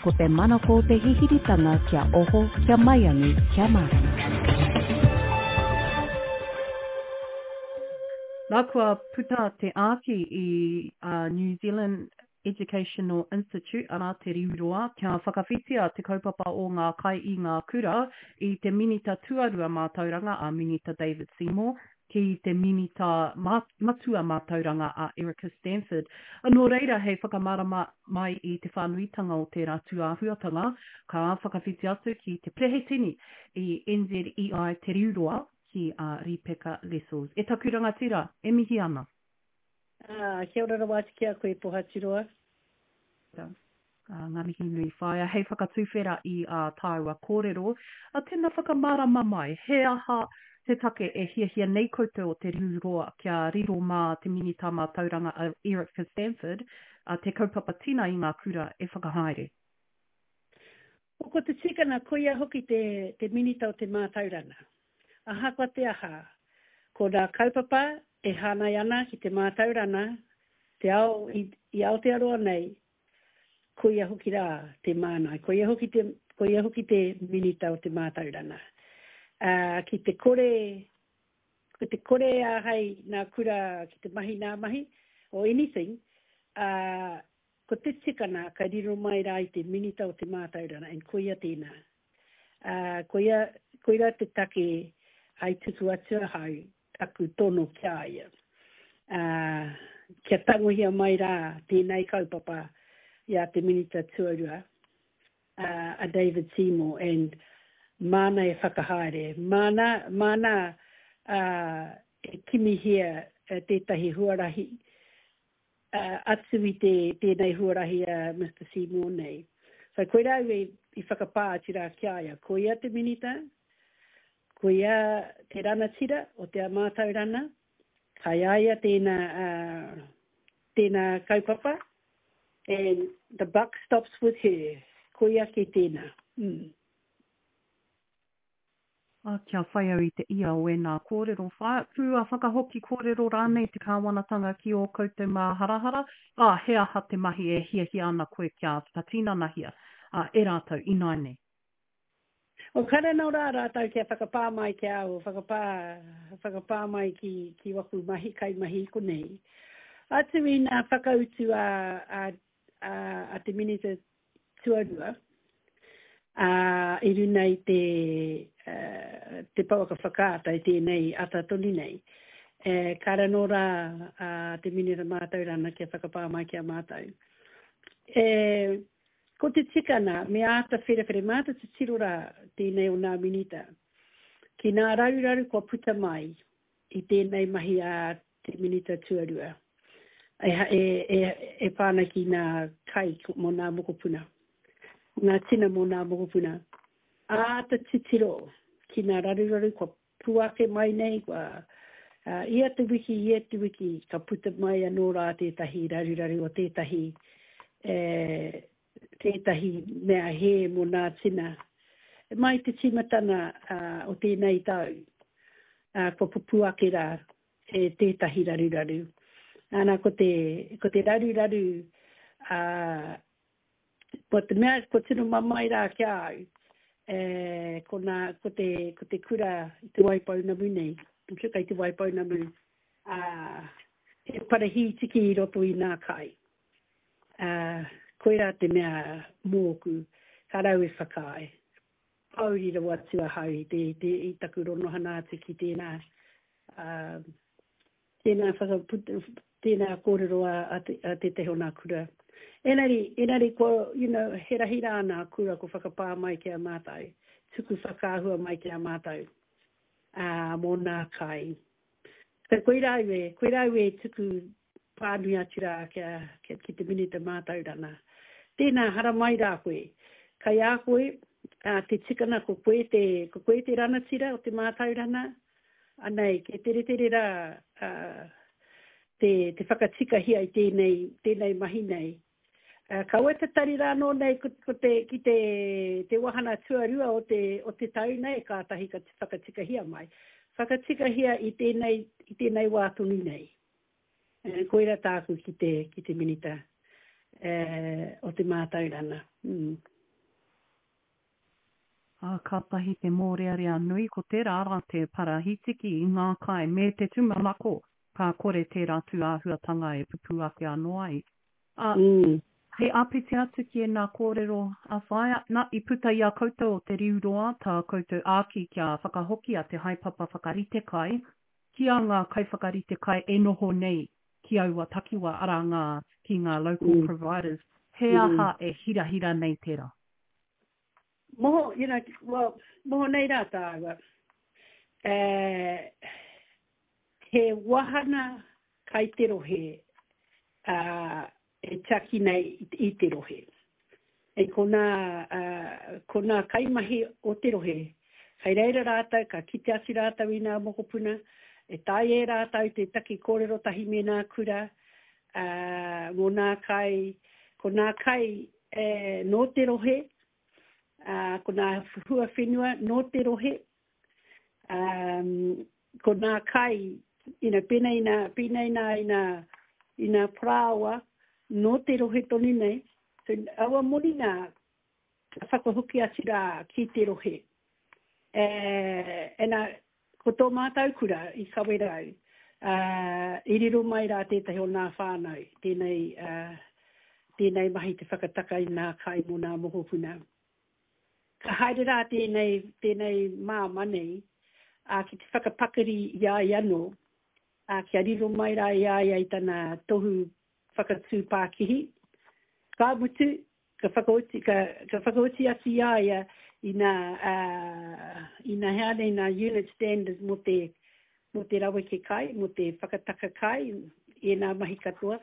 Ko te manako o te hihiritanga kia oho, kia maiangi, kia mārama. Nā kua puta te āki i a New Zealand Educational Institute, arā Te Riu Roa, kia whakawhitia te kaupapa o ngā kai i ngā kura i te Minita Tuarua Mātauranga a Minita David Seymour ki te Minita Matua Mātauranga a Erica Stanford. Nō reira, hei whakamārama mai i te whānuitanga o tērā tūāhuatanga, ka whakawhiti atu ki te Perehetini i NZEI Te Riu Roa, ki a Ripeka Lessels. E taku rangatira, e mihi ana. Ā, kia ora rawa atu ki a koe, Pohaturoa. Ā, ngā mihi nui whaea, hei whakatuwhera i ā tāua kōrero, ā, tēnā whakamārama mai, he aha te take e hiahia nei koutou o Te Riu Roa kia riro mā te Minita Mātauranga a Erica Stanford te kaupapa tina i ngā kura e whakahaere? Ko te tikanga koia hoki te, te Minita o te Mātauranga. Ahakoa te aha, ko ngā kaupapa e hāngai ana ki te mātauranga, te ao i, i Aotearoa nei, koia hoki rā te māngai, koia hoki te, koia hoki te Minita o te Mātauranga. Ā, ki te kore, ko te kore āhei nā kura ki te mahi nā mahi, or anything, ā, ko te tikanga ka riro mai rā i te Minita o te Mātauranga, and koia tēnā. Ā, koia, koirā te take i tuku atu ahau taku tono ki a ia, ā, kia tangohia mai rā tēnei kaupapa i a te Minita Tuarua, ā, a David Seymour, and māna e whakahaere, māna, māna, ā, e kimihia tētahi huarahi atu i te, tēnei huarahi a Mister Seymour nei. So koirā au i, i whakapā atu rā ki a ia, koia te Minita, koia te ranatira o te mātauranga, kai a ia tēnā, uh, tēnā kaupapa, and the buck stops with her, koia kē tēnā. Mm. Ā, kia whai au i te ia o ēnā kōrero, whāpū a whakahoki kōrero rānei te kāwanatanga ki ō koutou māharahara, ā, he aha te mahi e hiahia ana koe kia whakatinanahia, ā, e rātou ināianei. O kare nō rā rātou kia whakapā mai ki a au, whakapā, whakapā mai ki, ki waku mahi, kaimahi i konei. Atu i nā whakautu a, a, a, a te Minita tuarua, ā, i runa i te, te pouaka whakaata i tēnei ata tonu nei, e, kāre anō rā a te Minita Mātauranga kia whakapā mai ki a mātou. E, ko te tikanga, me āta wherewhere, me āta titiro rā tēnei o nā Minita, ki nā raruraru kua puta mai i tēnei mahi a te Minita Tuarua e, e, e, e pā ana ki nā kai mō nā mokopuna, ngā tina mō nā mokopuna. Āta titiro ki nā raruraru kua puake mai nei, kua, uh, ia te wiki, ia te wiki, ka puta mai anō rā tētahi raruraru o tētahi, e, tētahi mea hē mō nā tina. Mai te tīmatanga uh, o tēnei tau, uh, kua pupū ake rā e tētahi raruraru. Ana, ko te, ko te raruraru, ā, ko te mea kua tino mamae rā ki a au, e, ko, nā, ko, te, ko te kura i Te Waipounamu nei, I'm sure kei Te Waipounamu, ā, he parahītiki i roto i nā kai. Ā, koirā te mea mōku, ka rau e whakaae. Pōuri rawa atu ahau i te, i te, i taku ronohana atu ki tēnā, ā, tēnā whakaputa, tēnā kōrero a, a, te, a tētahi o nā kura. Engari, engari kua, you know, he rahi rā nā kura kua whakapā mai ki a mātou, tuku whakaahua mai ki a mātou, ā, mō nā kai. So koirā au e, koirā au e tuku pānui atu rā kia, kia, ki te Minita Mātauranga. Tēnā, haramai rā koe. Kai a koe, ā, te tikanga ko koe te, ko koe te ranatira o te mātauranga, anei, kei teretere rā, ā, te, te whakatikahia i tēnei, tēnei mahi nei. Ā, kaua e tatari rā anō nei ko, ko te, ki te, te wahana tuarua o te, o te tau nei, kātahi ka whakatikahia mai. Whakatikahia i tēnei, i tēnei wā tonu nei. E, koira tāku ki te, ki te Minita e, o te Mātauranga. Mm. Ā, kātahi te mōrearea nui ko tērā rā te parahitiki i ngā kai me te tūmanako ka kore tērā tū āhuatanga e pupū ake anō ai. Ā, hei āpiti atu ki ēnā kōrero a Whaea, nā, i puta i a koutou o Te Riu Roa tā koutou āki kia whakahokia te haepapa whakarite kai ki a ngā kaiwhakarite kai e noho nei ki aua takiwa, arā ngā, ki ngā local providers. He aha e hirahira nei tērā? Moho, you know, well, moho nei rā tāua. Uh, he wahana kai te rohe uh, e tiaki nei i te rohe. E ko nā, uh, ko nā kaimahi o te rohe, kai reira rātou, ka kite atu rātou i nā mokopuna, e tae e rātou te taki kōrero tahi me nā kura, uh, mō nā kai, ko nā kai e, nō te rohe, ā, ko nā hua whenua nō te rohe, ā, ko nā kai, you know, pēnei nā, pēnei nā i nā, i nā parāoa nō te rohe tonu nei, so aua moni nā, ka whakahoki atu rā ki te rohe. E, e nā, Ko tō mātau kura i Kawerau, ā, i riro mai rā tētahi o nā whānau tēnei, ā, tēnei mahi te whakataka i nā kai mō nā mokopuna. Ka haere rā tēnei, tēnei māmā nei, ā, ki te whakapakari i a ia anō, ā, kia riro mai rā i a ia i tana tohu whakatū pākihi. Ka mutu, ka whakaoti, ka, ka whakaoti atu i a ia i nā, uh, i nā hea nei nā unit standards mō te, mō te raweke kai, mō te whakataka kai, i ēnā mahi katoa.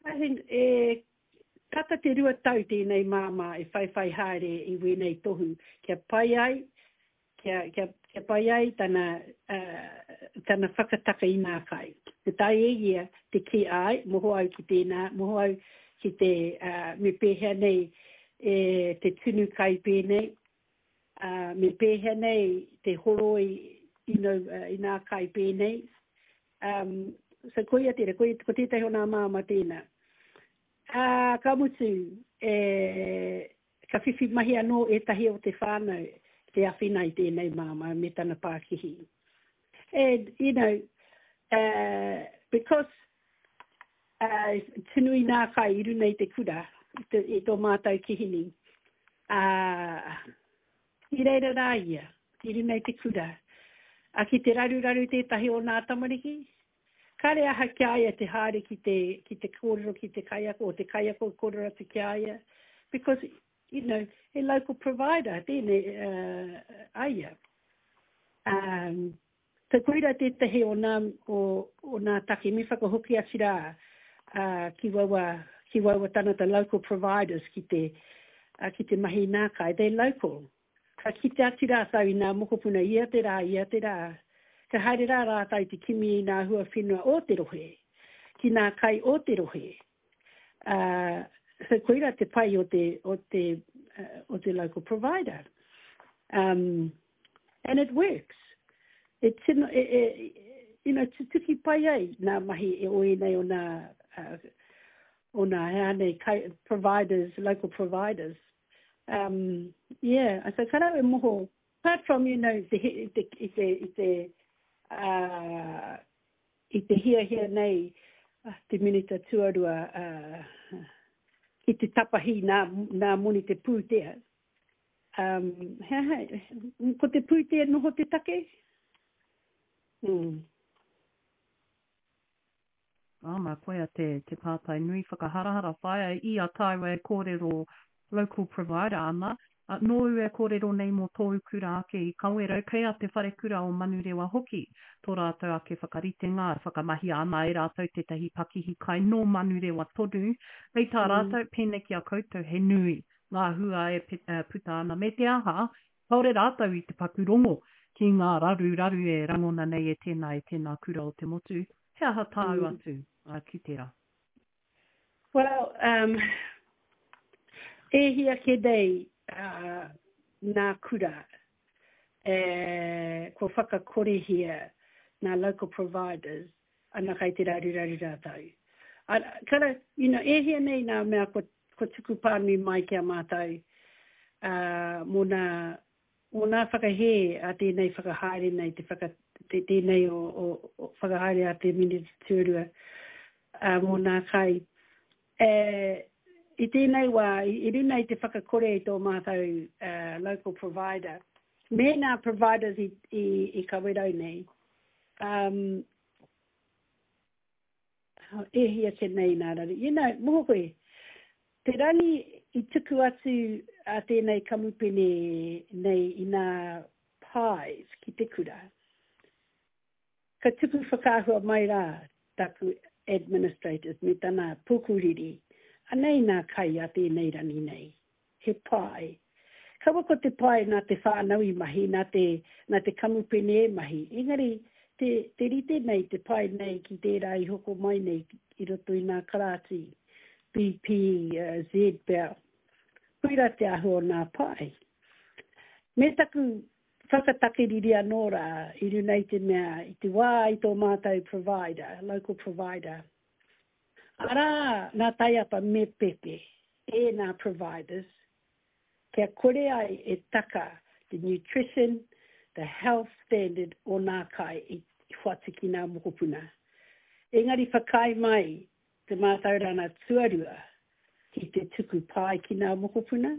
I think, e, tata te 2 tau tēnei māmā e whaiwhai haere i wēnei tohu kia pai ai kia, kia, kia pai ai tana, uh, tana whakataka i nā kai. Te tae e ia te kī āe, moho au ki tēnā, moho au ki te, uh, me pēhea nei e te tunu kai pēnei, uh, me pēhea nei te horoi you know, uh, i nā kai pēnei. Um, so koia tērā, koia, ko tētahi o nā māmā tēnā. Ā, ka mutu, e, Ka whiwhi mahi anō ētahi o te whānau te awhina i tēnei māmā me tana pākihi. And, you know, uh, because uh, tunu i nā kai i runa i te kura, i, te, i tō mātou kihini, uh, i reira rā ia, i runa i te kura. A ki te raruraru tētahi o nā tamariki, kare aha ki a ia te haere ki te, ki te kōrero ki te kaiako, o te kaiako kōrero atu ki a ia, because, you know, he local provider tēnei uh, a ia. Um, so koira tētahi o nā, o, o nā take, me whakahoki atu rā uh, ki waua, ki waua tangata local providers ki te, uh, ki te mahi nā kai, they're local. Ka kite atu rātou i nā mokopuna ia te rā, ia te rā. Ka haere rā rātou te kimi i nā hua whenua o te rohe, ki nā kai o te rohe. Ā, so koirā te pai o te, o te, uh, o te local provider. Um, and it works. E tino, e, e, you know, tutuki pai ai nā mahi e o ēnei o nā, uh, o nā hea nei kai, providers, local providers. Um, yeah, so ka rau e moho, apart from, you know, te, te, i te, i te, uh, i te hiahia nei te minita tuarua uh, ki te tapahi nā, nā moni te pūtea. Um, he aha, ko te pūtea noho te take? Mm. Āna, koia te, te pātai nui whakaharahara whaia i a tāua e kōrero local provider ana. Nōu e kōrero nei mō tōu kura ake i Kawerau, kei a Te Wharekura o Manurewa hoki tō rātou ake whakaritenga, e whakamahia ana e rātou tētahi pakihi kai nō Manurewa tonu. Hei tā rātou, pēnei ki a koutou, he nui ngā hua e puta ana, me te aha, kāore rātou i te paku rongo ki ngā raruraru e rangona nei e tēnā, e tēnā kura o te motu. He aha tāu atu ki tērā? Well, um, e hia kē nei uh, nā kura e, kua whakakorehia nā local providers ana kai te raruraru rātou. A, kara, you know, e hia nei nā mea kua, kua tuku pānui mai ki a mātou uh, mō nā. Mō nā whakahē a tēnei whakahaere nei, te whaka, te, tēnei o, o, o whakahaere a te Minita Tuarua, ā, mō nā kai. E, i tēnei wā, i, i runa i te whakakore i tō mātou uh, local provider, me nā providers i, i, i Kawerau nei, um, E hia ake nei nā raru. You know, moho koe, te rangi i tuku atu a tēnei kamupene nei i nā pies ki te kura, ka tuku whakaahua mai rā taku administrators me tana pukuriri, anei nā kai a tēnei rangi nei. He pae. Kaua ko te pae nā te whānau i mahi, nā te, nā te kamupene e mahi, engari te, te rite nei te pae nei ki tērā i hoko mai nei i roto i nā karāti, BP, Z pea. Koirā te āhua o nā pae. Me taku whakatakiriri anō rā i runa i te mea, i te wā i tō mātou provider, local provider, Arā, nā Taiapa me Pepe ēnā providers kia kore ai e taka te nutrition, the health standard o nā kai i whati ki nā mokopuna. Engari whakaae mai te mātaurana tuarua ki te tuku pae ki nā mokopuna.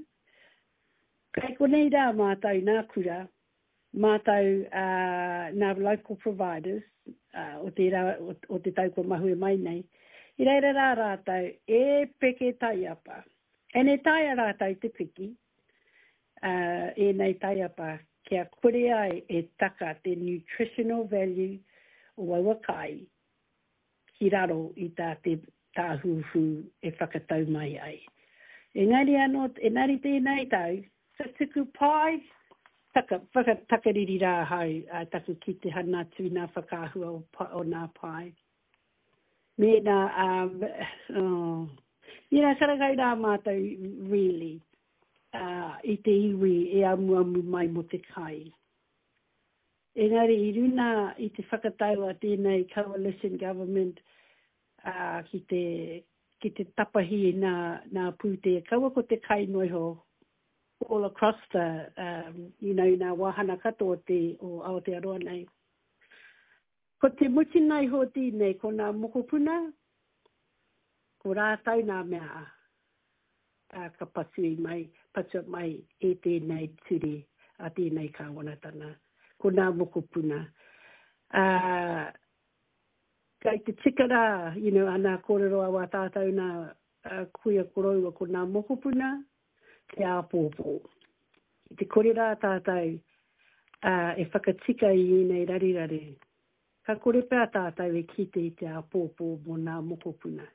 Kei konei rā mātou nā kura Mātou nā local providers o tērā, o te tau kua mahue mai nei, i reira rā rātou e peke taiapa. And e taea rātou te piki ēnei taiapa kia kore ai e taka te nutritional value o aua kai ki raro i tā te Tāhuhu e whakatau mai ai. Engari anō, engari tēnei tau, ka tuku pai, taka, whakatakariri rā ahau ā, taku kite hana atu i nā whakaahua o, o nā pae. Mēnā, um, oh, you know, karakau rā mātou, really, uh, i te iwi e amuamu mai mō te kai. Engari i runa i te whakatau a tēnei coalition government ā, ki te, ki te tapahi i nā, nā pūtea, kaua ko te kai noa iho all across the, um, you know, i nā wāhana katoa o te, o Aotearoa nei. Ko te mutunga iho o tēnei, ko nā mokopuna, ko rātou nā mea ā, ka patui mai, patua mai e tēnei ture a tēnei kāwanatanga, ko nā mokopuna. Ā, kei te tika rā, you know, ana kōrero a wā tātou nā kuia koroua ko nā mokopuna, te āpōpō. Ki te kore rā tātou ā, e whakatika i ēnei raruraru, ka kore pea tātou e kite i te āpōpō mō nā mokopuna.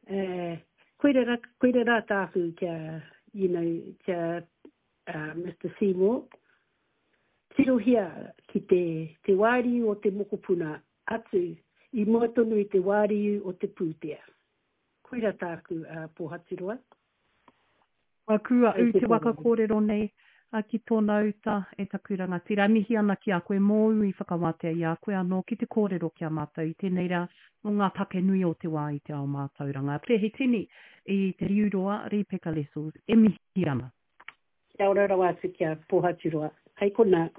E, koira rā, koira rā tāku kia, you know, kia uh, Mr Seymour, tirohia ki te, te wāriu o te mokopuna atu i mua tonu i te wāriu o te pūtea. Koira tāku uh, Pōhaturoa. Kua kū a ū te waka kōrero nei ki tōna uta e taku rangatira. E mihi ana ki a koe mōu i whakawātea i a koe anō ki te kōrero ki a mātou i tēnei rā mō ngā take nui o te wā i te ao mātauranga. Perehitini i Te Riuroa, Rīpeka Lessels, e mihi ana. Kia ora rawa atu ki a Pōhaturoa. Hei konā.